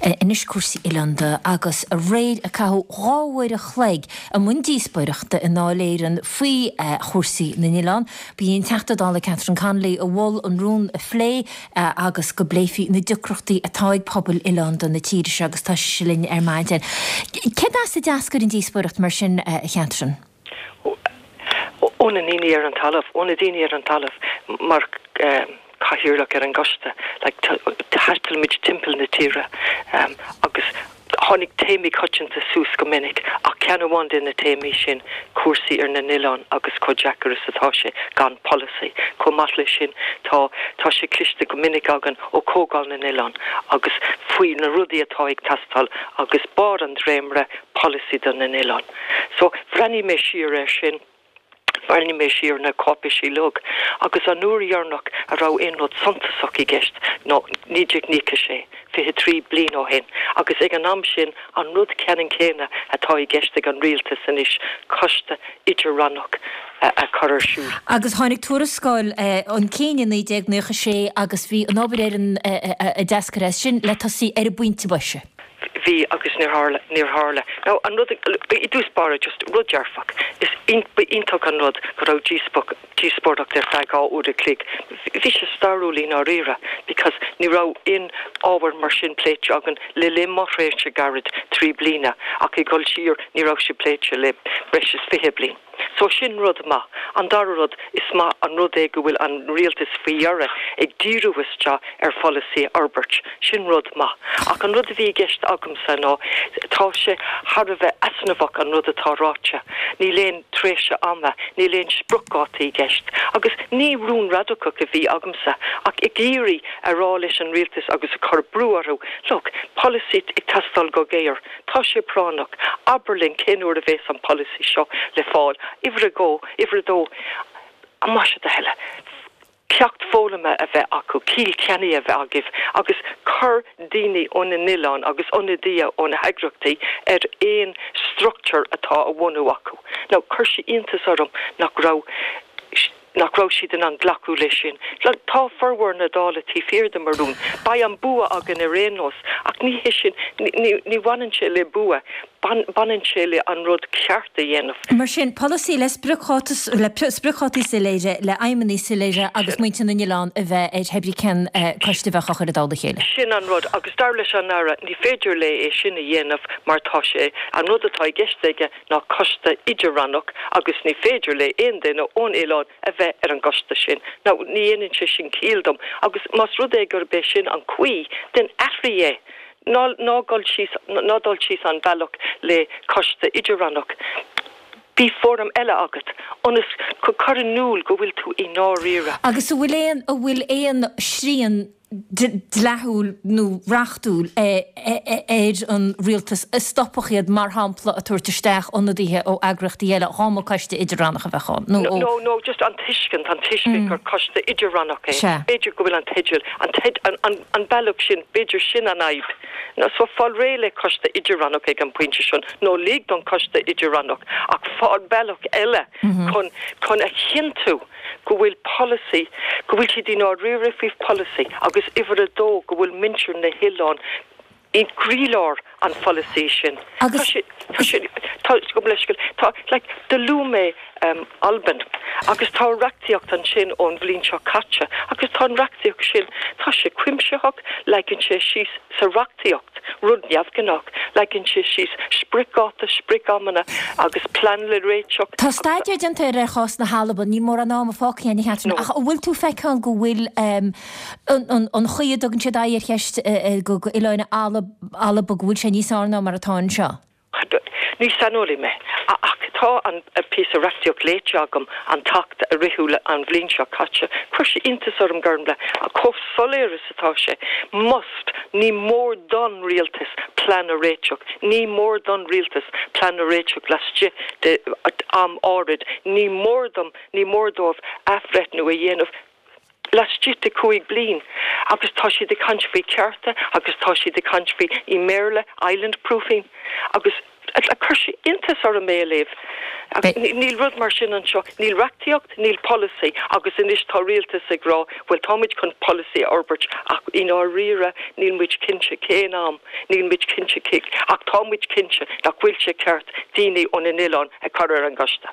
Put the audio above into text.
Anois cúrsaí oileánda agus aréir a caitheadh 2 uair a chloig i mbun díospóireachta i nDáil Éireann faoi chúrsaí na n-oileán. Ba í an Teachta Dála Catherine Connolly a mhol an rún a phlé agus go bpléifí na deacrachtaí atá ag pobail oileánda na tíre seo agus tá sise linn ar maidin. Céard as a d'eascair an díospóireacht mar sin, a Chatherine? Ó na ndaoine ar an talamh, ó na daoine ar an talamh mar cathaoirleach ar an gcoiste, like thaistil muid timpeall na tíre agus tháinig téamaí coitianta suas go minic ach ceann amháin de na téamaí sin cúrsaí ar na n-oileán agus chomh deacair is atá sé gan polasaí. Chomh maith leis sin tá tá sé cliste go minic againn ó Chomhdháil na nOileán agus faoi na rudaí atá ag teastáil agus barr an dréimire polasaí do na n-oileán. So, bhreathnaigh mé siar air sin, bhreathnaigh mé siar ar na cáipéisí uilig, agus an uair dheireanach a raibh aon rud suntasach i gceist ná 1996, 23 bliain ó shin, agus ag an am sin, an rud ceannann céanna atá i gceist ag an rialtas anois, coiste idir-rannach a chur ar siúl. Agus tháinig tuarascáil chun cinn i 1996 agus bhí an obair ar an a d'eascair as sin le tosaí ar an bpointe boise. Bhí agus níor tharla, níor tharla. Now, an rud, i dtús báire, just rud dearfach, is ba iontach an rud go raibh díospóireacht ar feadh 2 uair a chloig. Bhí sé stairiúil i ndáiríre because ní raibh aon ábhar mar sin pléite againn le linn mo thréimhse gairid, 3 bliana, ach ag dul siar ní raibh sé pléite le breis is 20 bliain. So sin rud maith. An dara rud, is maith an rud é go bhfuil an rialtas faoi dheireadh ag díriú isteach ar pholasaí a fhorbairt. Sin rud maith. Ach an rud a bhí i gceist agamsa ná, tá sé thar a bheith easnamhach an rud atá ráite. Níl aon tréimhse ama, níl aon spriocdháta i gceist. Agus ní rún radacach a bhí agamsa, ach ag iarraidh a rá leis an rialtas agus ag cur brú orthu, look, polasaí ag teastáil go géar. Tá sé práinneach. Abair linn cén uair a bhéas an polasaí seo le fáil. Uimhir a dhó, uimhir a dó, más é do thoil, ceacht foghlamtha a bheith acu, ciall ceannaigh a bheith agaibh agus cuir daoine ó na n-oileán agus ionadaithe ó na heagraíochtaí ar aon struchtúr atá á bhunú acu. Now, chuir sé iontas orm nach raibh. nach raibh siad in ann glacadh leis sin. Tá formhór na Dála taobh thiar de mo rún. Beidh an bua againn ar aon nós, ach ní hé sin, ní bhaineann sé le bua, baineann sé le an rud ceart a dhéanamh. Mar sin, polasaí le spriocdhátaí soiléire, le aidhmeanna soiléire agus muintir na n-oileán a bheith ar thébrí cén coiste a bheadh á chur i dtoll a chéile. Sin an rud, agus dar leis an Aire, ní féidir léi é sin a dhéanamh mar tá sé, an rud atá i gceist aige, ná coiste idir-rannach agus ní féidir le aon duine ón oileán a bheith ar an gcoiste sin. Now, ní dhéanann sé sin ciall dom agus más rud é gurb é sin an chaoi, then athraigh é. Ná, ná gul síos, ná dul síos an bealach le coiste idir-rannach. Bíodh fóram eile agat ionas go cur in iúl go bhfuil tú i ndáiríre. Agus an bhfuil aon, an bhfuil aon srian dleathúil nó reachtúil ar an rialtas a stopfadh iad, mar shampla, ag tabhairt isteach ionadaithe ó eagraíochtaí eile dhá mba coiste idir-rannach a bheadh ann, nó ó. No, no, just an tuiscint, an tuiscint gur coiste idir-rannach é. Sea. B'fhéidir go bhfuil an teideal, an teid, an, an, an bealach sin, b'fhéidir sin an fhadhb. No, so fáil réidh le coiste idir-rannach ag an bpointe sin, nó lig don coiste idir-rannach, ach fáil bealach eile chun, chun a chinntiú go bhfuil polasaí, go bhfuil siad i ndáiríre faoi pholasaí agus uimhir a dó go bhfuil muintir na hoileán i gcroílár an pholasaí sin. Tá sé, tá sé, tá, gabh mo leithscéal, tá, like, do luaigh mé Albain agus tá reachtaíocht ansin ón bhliain seo caite agus tá an reachtaíocht sin, tá sé cuimsitheach, leagann sé síos sa reachtaíocht, rud neamhghnách, leagann sé síos spriocdháta, sprioc-amanna agus plean le réiteach. Tá staidéar déanta ar chás na hAlban, níl mórán ama fágtha againn a Chatherine, ach an bhfuil tú ag feiceáil go bhfuil an chaoi a dtugann siad aghaidh ar cheist oileáin Alba, go bhfuil sé níos fearr ná mar atá anseo? Ní saineolaí mé, ach tá an píosa reachtaíocht léite agam, an tAcht a ritheadh an bhliain seo caite. Chuir sé iontas orm, Gormfhlaith, chomh soiléir is atá sé. Must, ní mór don rialtas plean a réiteach. Ní mór don rialtas plean a réiteach laistigh de am áirid. Ní mór dom, ní mór dóibh athbhreithniú a dhéanamh. laistigh de 5 bliain agus tá siad ag caint faoi cearta agus tá siad ag caint faoi, i mBéarla, island proofing agus. Chuir sé iontas orm é a léamh. Níl rud mar sin anseo. Níl reachtaíocht, níl polasaí agus anois tá rialtas ag rá bhuel táimid chun polasaí a fhorbairt ach i ndáiríre níl muid cinnte cén am, níl muid cinnte cé ach tá muid cinnte nach bhfuil sé ceart daoine ó na n-oileán a chur ar an gcoiste.